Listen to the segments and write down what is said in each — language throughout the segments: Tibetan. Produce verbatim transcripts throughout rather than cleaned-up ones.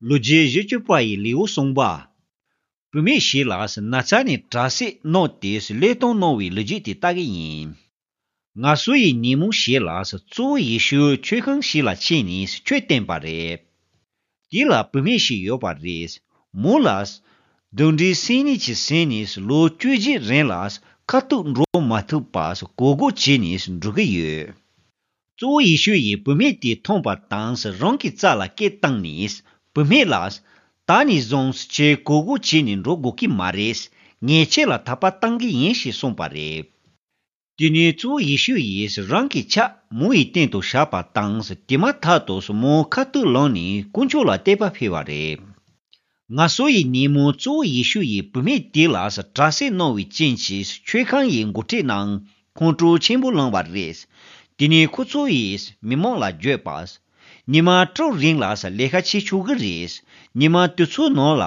ལོ་རྒྱུས་བཞི་བཅུ་པ་ཡི་ལེའུ་གསུམ་པ། བུད་མེད་ཞིག་ལ་ན་ཚ་ནས་དྲག་སྐྱེད་གནང་སྟེ་བློས་གཏོང་གནང་བའི་ལོ་རྒྱུས་དེ་ལྟ་གི་ཡིན། ངལ་གསོ་ཡི་ཉིན་མོ་ཞིག་ལ་གཙོ་བོ་ཡེ་ཤུ་མཆོད་ཁང་ཞིག་ལ་ཕྱིན་ནས་ཆོས་བསྟན་པ་རེད། དེ་ལ་བུད་མེད་ཞིག་ཡོད་པ་རེད། མོ་ལ་གདོན་འདྲེ་སེམས་ནད་ཀྱིས་ཟིན་ནས་ལོ་བཅུ་གཅིག་རིང་ལ་ཁ་ཐུག་འགྲོ་མ་ཐུབ་པ་གོ་སྒོ་བྱས་ནས་འགྲོ་གི་ཡོད། གཙོ་བོ་ཡེ་ཤུ་ཡིས་བུད་མེད་དེ་མཐོང་པ་དང་རང་གི་རྩ་ལ་སྐད་བཏང་ནས། བུད་མེད་ལ། ད་ནས་བཟུང་ཁྱེད་གོ་སྒོ་བྱས་ནས་འགྲོ་དགོས་ཀྱི་མ་རེད། ངས་ཁྱེད་ལ་ཐག་པ་བཏང་གི་ཡིན་ཞེས་གསུངས་པ་རེད། དེ་ནས་གཙོ་བོ་ཡེ་ཤུ་ཡིས་རང་གི་ཕྱག་མོ་ཡི་སྟེང་དུ་བཞག་པ་དང་དེ་མ་ཐག་ཏུ་མོ་ཁ་ཐུག་ལངས་ནས་དཀོན་མཆོག་ལ་བསྟོད་པ་ཕུལ་བ་རེད། ངལ་གསོ་ཡི་ཉིན་མོ་གཙོ་བོ་ཡེ་ཤུ་ཡིས་བུད་མེད་དེ་ལ་དྲག་སྐྱེད་གནང་བའི་རྐྱེན་གྱིས་མཆོད་ཁང་ཡི་འགོ་ཁྲིད་ནང་ཁོང་ཁྲོ་ཆེན་པོ་ལངས་པ་རེད། དེ་ནས་ཁོ་ཚོ་ཡིས་མི་མང་ལ་བརྗོད་པ། ཉི་མ་དྲུག་རིང་ལ་ལས་ཀ་བྱེད་ཆོག་གི་རེད། ཉི་མ་དེ་ཚོའི་ནང་ལ་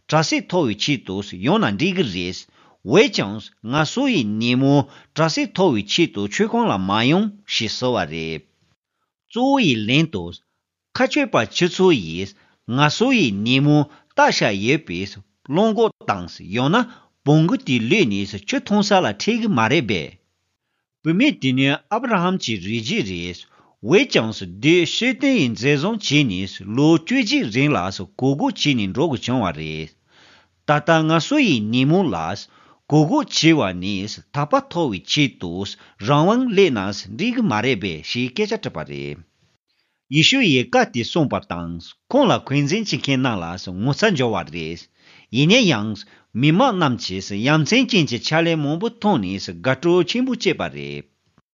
དྲག་སྐྱེད་ཐོབ་པའི་ཆེད་དུ་ཡོང་ན་འགྲིག་གི་རེད། འོན་ཀྱང་ངལ་གསོ་ཡི་ཉིན་མོ་དྲག་སྐྱེད་ཐོབ་པའི་ཆེད་དུ་མཆོད་ཁང་ལ་མ་ཡོང་ཞེས་ཟེར་བ་རེད། གཙོ་བོ་ཡི་ལན་དུ། མཁའ་སྤྱོད་པ་ཁྱེད་ཚོ་ཡིས་ངལ་གསོ་ཡི་ཉིན་མོ་བཏབ་བཞག་ཡོད་པའི་གླང་གོག་དང་ཡང་ན་བོང་གུ་དེ་གློད་ནས་ཆུ་འཐུང་ས་ལ་ཁྲིད་གི་མ་རེད་པས། བུད་མེད་དེ་ནི་ཨབ་ར་ཧམ་གྱི་རིགས་རྒྱུད་རེད། འོན་ཀྱང་དེས་ཤེས་ལྡན་ཡི་མཛད་བཟང་བྱས་ནས་ལོ་བཅུ་གཅིག་རིང་ལ་གོ་སྒོ་བྱས་ནས་འགྲོ་དགོས་བྱུང་བ་རེད། ད་ལྟ་ངལ་གསོ་ཡི་ཉིན་མོ་ལ་གོ་སྒོ་བྱས་པ་ནས་ཐག་པ་ཐོག་པའི་ཆེད་དུ་རང་དབང་སླེབས་ན་འགྲིག་གི་མ་རེད་པས་ཞེས་སྐད་ཆ་དྲིས་པ་རེད། ཡེ་ཤུ་ཡིས་བཀའ་དེ་གསུངས་པ་དང་ཁོང་ལ་འཁོན་འཛིན་བྱེད་མཁན་རྣམས་ལ་ངོ་ཚ་འབྱོར་བ་རེད། ཡིན་ན་ཡང་མི་མང་རྣམས་ཀྱིས་ཡ་མཚན་ཅན་གྱི་ཕྱག་ལས་མང་པོ་མཐོང་ནས་དགའ་སྤྲོ་ཆེན་པོ་སྐྱེས་པ་རེད།